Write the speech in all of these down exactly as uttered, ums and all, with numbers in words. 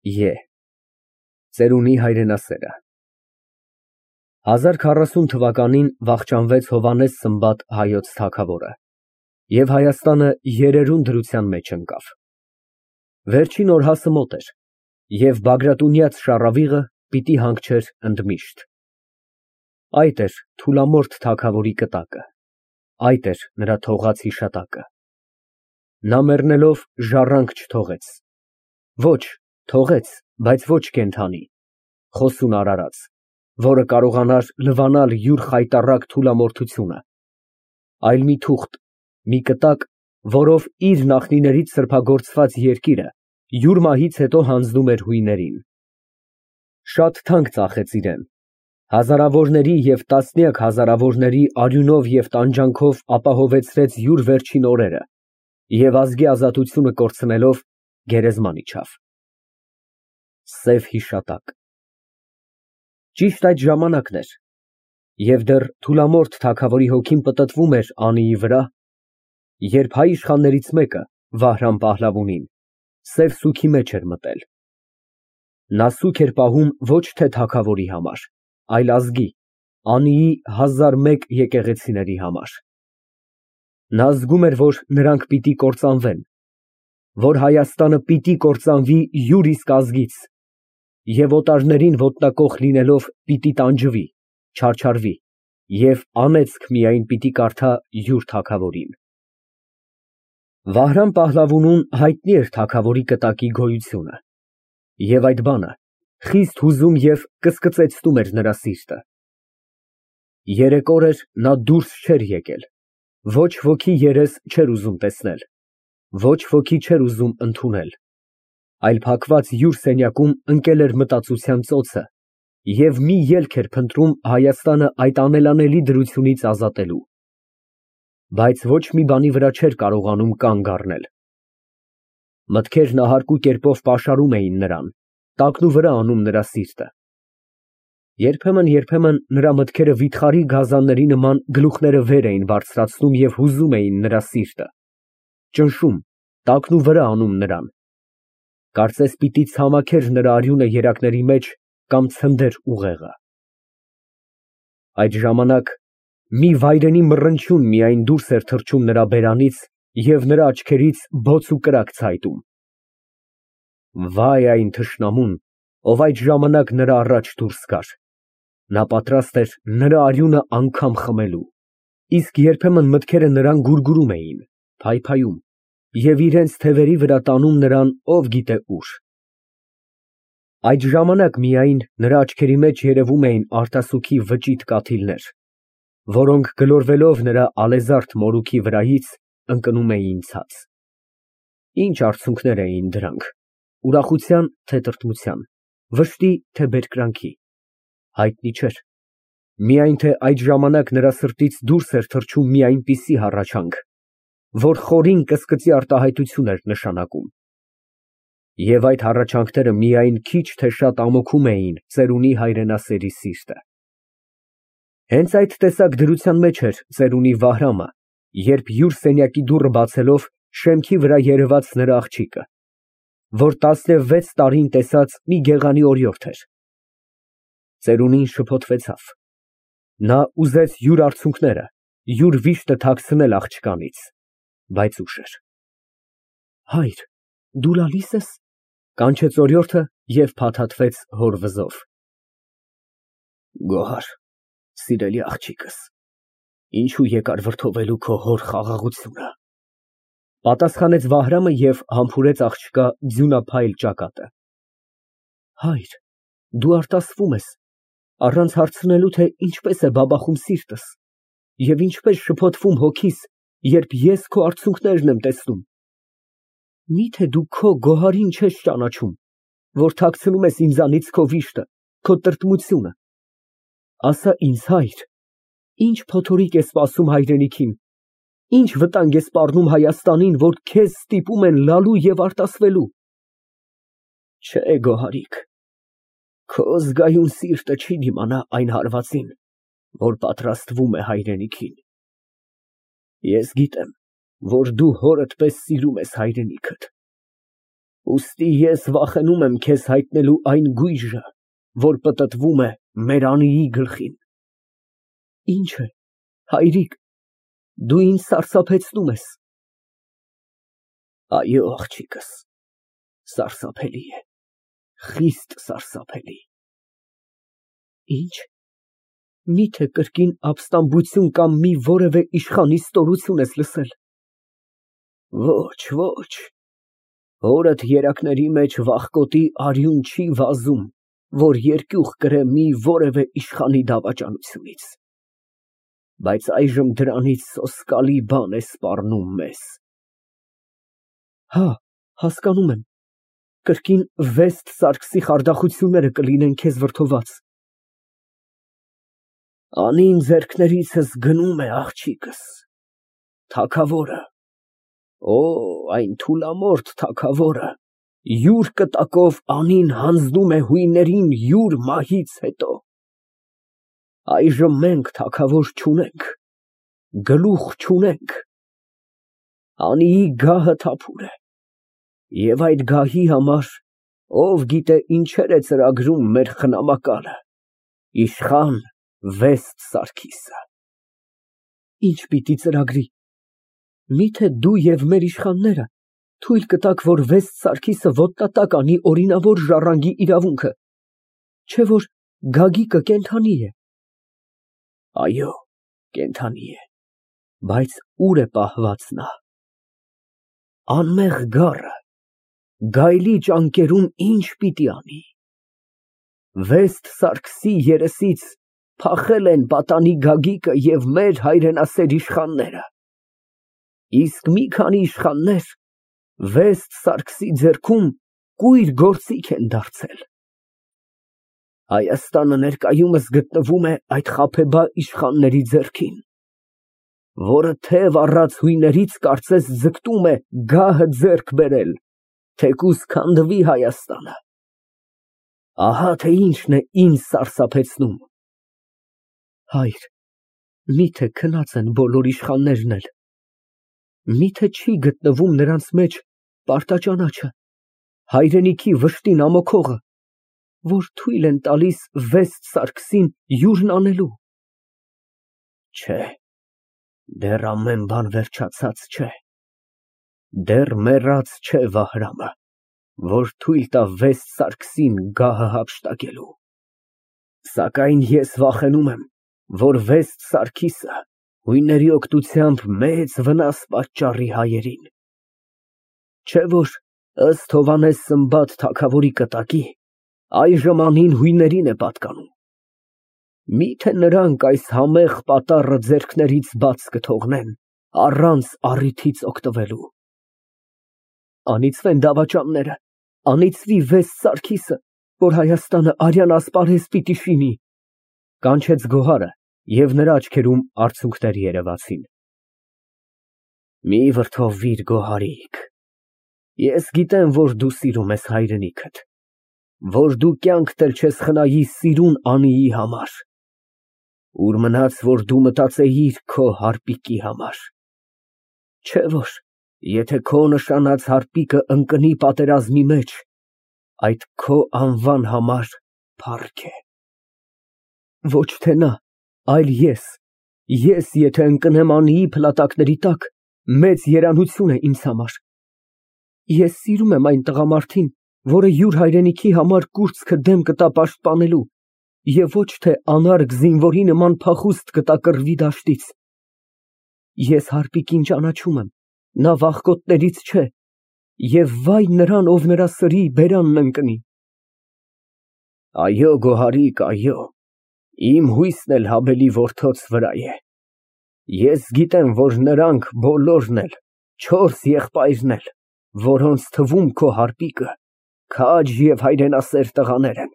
Ե Ծերունի հայրենասերը հազար քառասուն թվականին վախճանվեց Հովհաննես Սմբատ հայոց թագավորը և Հայաստանը երերուն դրության մեջ ընկավ։ Վերջին օրհասը մոտ էր, և Բագրատունյաց շառավիղը պիտի հանգչեր ընդմիշտ։ Այդ էր Թուլամորթ թագավորի կտակը, այդ էր նրա թողած հիշատակը։ Նա մեռնելով ժառանգ չթողեց, ոչ, թողեց, բայց ոչ կենդանի, խոսուն արարած, որը կարողանար լվանալ յուր խայտառակ թուլամորթությունը, այլ մի թուղթ, մի կտակ, որով իր նախնիներից սրբագործված երկիրը յուր մահից հետո հանձնում էր հույներին։ Շատ թանկ ծախեց իրան, հազարավորների և տասնյակ հազարավորների արյունով և տանջանքով ապահովեցրեց յուր վերջին օրերը և ազգի ազատությունը կորցնելով գերեզման իջավ։ Սև հիշատակ Ճիշտ այդ ժամանակն էր, և դեռ Թուլամորթ թագավորի հոգին պտտվում էր Անիի վրա, երբ հայ իշխաններից մեկը, Վահրամ Պահլավունին, սև սուգի մեջ էր մտել։ Նա սուգ էր պահում ոչ թե թագավորի համար, այլ ազգի, Անիի հազար մեկ եկեղեցիների համար։ Նա զգում էր, որ նրանք պիտի կործանվեն, որ Հայաստանը պիտի կործանվի յուր իսկ ազգից և օտարներին ոտնակոխ լինելով պիտի տանջվի, չարչարվի և անեծք միայն պիտի կարդա յուր թագավորին։ Վահրամ Պահլավունուն հայտնի էր թագավորի կտակի գոյությունը, և այդ բանը խիստ հուզում և կսկծեցնում էր նրա սիրտը։ Երեք օր էր նա դուրս չէր եկել, ոչ ոքի երես չէր ուզում տեսնել, ոչ ոքի չէր ուզում ընդունել, այլ փակված յուր սենյակում ընկել էր մտածության ծոցը և մի ելք էր փնտրում Հայաստանը այդ անելանելի դրությունից ազատելու, բայց ոչ մի բանի վրա չէր կարողանում կանգ առնել։ Մտքերն ահարկու կերպով պաշարում էին նրան, տակնուվրա անում նրա սիրտը։ Երբեմն֊երբեմն նրա մտքերը վիթխարի գազանների նման գլուխները վեր էին բարձրացնում և հուզում էին նրա սիրտը, ճնշում, տակնուվրա անում նրան, կարծես պիտի ցամաքեր նրա արյունը երակների մեջ կամ ցնդեր ուղեղը։ Այդ ժամանակ մի վայրենի մռնչյուն միայն դուրս էր թռչում նրա բերանից և նրա աչքերից բոց ու կրակ ցայտում։ Վայ այն թշնամուն, ով այդ ժամանակ նրա առաջ դուրս գար, նա պատրաստ էր նրա արյունը անգամ խմելու, իսկ երբեմն մտքերը նրան գուրգուրում էին, փայփայում և իրենց թևերի վրա տանում նրան ով գիտե ուր։ Այդ ժամանակ միայն նրա աչքերի մեջ երևում էին արտասուքի վճիտ կաթիլներ, որոնք գլորվելով նրա ալեզարդ մորուքի վրայից ընկնում էին ցած։ Ինչ արցունքներ էին դրանք, ուրախության, թե տրտմության, վշտի, թե բերկրանքի, հայտնի չէր, միայն թե այդ ժամանակ նրա սրտից դուրս էր թռչում մի այնպիսի հառաչանք, որ խորին կսկծի արտահայտություն էր նշանակում։ Եվ այդ հառաչանքները միայն քիչ թե շատ ամոթում էին ծերունի հայրենասերի սիրտը։ Հենց այդ տեսակ դրության մեջ էր ծերունի Վահրամը, երբ յուր սենյակի դուռը բացելով շեմքի վրա երևաց նրա աղջիկը, որ տասնվեց տարին տեսած մի գեղանի օրիորդ էր։ Ծերունին շփոթվեցավ, նա ուզեց յուր արցունքները, յուր վիշտը թաքցնել աղջկանից, բայց ուշ էր։ Հայր, դու լալի՞ս ես, կանչեց օրիորդը և փաթաթվեց հոր վզով։ Գոհար, սիրելի աղջիկս, ինչու եկար վրդովելու քո հոր խաղաղությունը, պատասխանեց Վահրամը և համբուրեց աղջկա ձյունափայլ ճակատը։ Հայր, դու արտասվում ես, առանց հարցնելու, թե ինչպես է բաբախում սիրտս և ինչպես շփոթվում հոգիս, երբ ես քո արցունքներն եմ տեսնում։ Մի՞թե դու քո գոհարին չես ճանաչում, որ թաքցնում ես ինձանից քո վիշտը, քո տրտմությունը։ Ասա ինձ, հայր, ինչ փոթորիկ է սպասում հայրենիքին, ինչ վտանգ է սպառնում Հայաստանին, որ քեզ ստիպում են լալու և արտասվելու։ Չէ, գոհարիկ, քո զգայուն սիրտը չի դիմանա այն հարվածին, որ պատրաստվում է հայրենիքին։ Ես գիտեմ, որ դու հորդ պես սիրում ես հայրենիքդ, Ուստի ես վախենում եմ քեզ հայտնելու այն գույժը, որ պտտվում է մեր անիի գլխին։ Ինչ է, հայրիկ, դու ինձ սարսափեցնում ես։ Այո, աղջիկս, սարսափելի է, խիստ սարսափելի։ Ինչ, միթե կրկին ապստամբություն կամ մի որևէ իշխանի ստորություն ես լսել։ Ոչ, ոչ, հորդ երակների մեջ վախկոտի արյուն չի վազում, որ երկյուղ կրե մի որևէ իշխանի դավաճանությունից, բայց այժմ դրանից սոսկալի բան է սպառնում մեզ։ Հա, հասկանում եմ, կրկին Վեստ Սարգսի խարդախությունները կլինեն քեզ վրդոված։ Անին ձեռքներիցս գնում է, աղջիկս, թագավորը, օ, այն թուլամորթ թագավորը, յուր կտակով անին հանձնում է հույներին յուր մահից հետո։ Այժմ մենք թագավոր չունենք, գլուխ չունենք, անիի գահը թափուր է, և այդ գահի համար ով գիտե ինչեր է ծրագրում մեր խնամակալը, իշխան Վեստ Սարգիսը։ Ինչ պիտի ծրագրի, միթե դու և մեր իշխանները թույլ կտաք, որ Վեստ Սարգիսը ոտնատակ անի օրինավոր ժառանգի իրավունքը, չէ՞ որ Գագիկը կենդանի է։ Այո, կենդանի է, բայց ուր է պահված նա։ Անմեղ գառը գայլի ճանկերում ինչ պիտի անի։ Վեստ Սարգսի երեսից փախել են պատանի Գագիկը և մեր հայրենասեր իշխանները, իսկ մի քանի իշխաններ Վեստ Սարգսի ձեռքում կույր գործիք են դարձել։ Հայաստանը ներկայումս գտնվում է այդ խաբեբայ իշխանների ձեռքին, որը թև առած հույներից կարծես ձգտում է գահը ձեռք բերել, թեկուզ քանդվի Հայաստանը։ Ահա թե ինչն է ինձ սարսափեցնում։ Հայր, միթե քնած են բոլոր իշխաններն էլ, միթե չի գտնվում նրանց մեջ պարտաճանաչը, հայրենիքի վշտին ամոքողը, որ թույլ են տալիս Վեստ Սարգսին յուրն անելու։ Չէ, դեռ ամեն բան վերջացած չէ, դեռ մեռած չէ Վահրամը, որ թույլ տա Վեստ Սարգսին գահը հափշտակելու, սակայն ես վախենում եմ, որ Վեստ Սարգիսը հույների օգնությամբ մեծ վնաս պատճառի հայերին, չէ՞ որ ըստ Հովհաննես Սմբատ թագավորի կտակի այժմ անին հույներին է պատկանում։ Միթե նրանք այս համեղ պատառը ձեռքներից բաց կթողնեն, առանց առիթից օգտվելու։ Անիծվեն դավաճանները, անիծվի Վեստ Սարգիսը, որ Հայաստանը արյան ասպարեզ պիտի շինի, կանչեց Գոհարը, և նրա աչքերում արցունքներ երևացին։ Մի վրդովվիր, Գոհարիկ, ես գիտեմ, որ դու սիրում ես հայրենիքդ, որ դու կյանքդ էլ չես խնայի սիրուն անիի համար, ուր մնաց, որ դու մտածեիր քո հարպիկի համար, չէ՞ որ եթե քո նշանած հարպիկը ընկնի պատերազմի մեջ, այդ քո անվան համար փառք է։ Ոչ թե նա, այլ ես, ես եթե ընկնեմ անիի փլատակների տակ, մեծ երանություն է ինձ համար։ Ես սիրում եմ այն տղամարդին, որը յուր հայրենիքի համար կուրծքը դեմ կտա պաշտպանելու և ոչ թե անարգ զինվորի նման փախուստ կտա կռվի դաշտից։ Ես հարպիկին ճանաչում եմ, նա վախկոտներից չէ, և վայ նրան, ով նրա սրի բերանն ընկնի։ Այո, Գոհարիկ, այո, իմ հույսն էլ Հաբելի որդոց վրա է։ Ես գիտեմ, որ նրանք բոլորն էլ, չորս եղբայրն էլ, որոնց թվում քո հարպիկը, քաջ և հայրենասեր տղաներ են,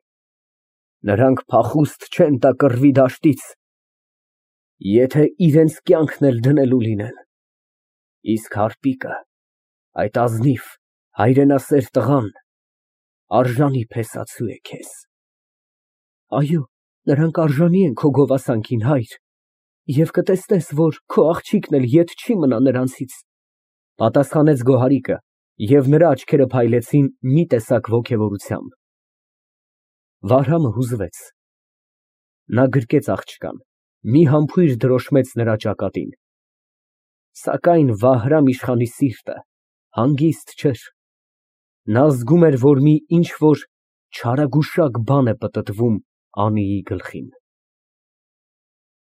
նրանք փախուստ չեն տա կռվի դաշտից, եթե իրենց կյանքն էլ դնելու լինեն, իսկ հարպիկը, այդ ազնիվ, հայրենասեր տղան, արժանի փեսացու է քեզ։ Այո, նրանք արժանի են քո գովասանքին, հայր, և կտեսնես, որ քո աղջիկն էլ ետ չի մնա նրանցից, պատասխանեց Գոհարիկը, Եվ նրա աչքերը փայլեցին մի տեսակ ոգևորությամբ։ Վահրամը հուզվեց։ Նա գրկեց աղջկան, մի համբույր դրոշմեց նրա ճակատին, սակայն Վահրամ իշխանի սիրտը հանգիստ չէր, նա զգում էր, որ մի ինչ֊որ չարագուշակ բան է պտտվում Անիի գլխին։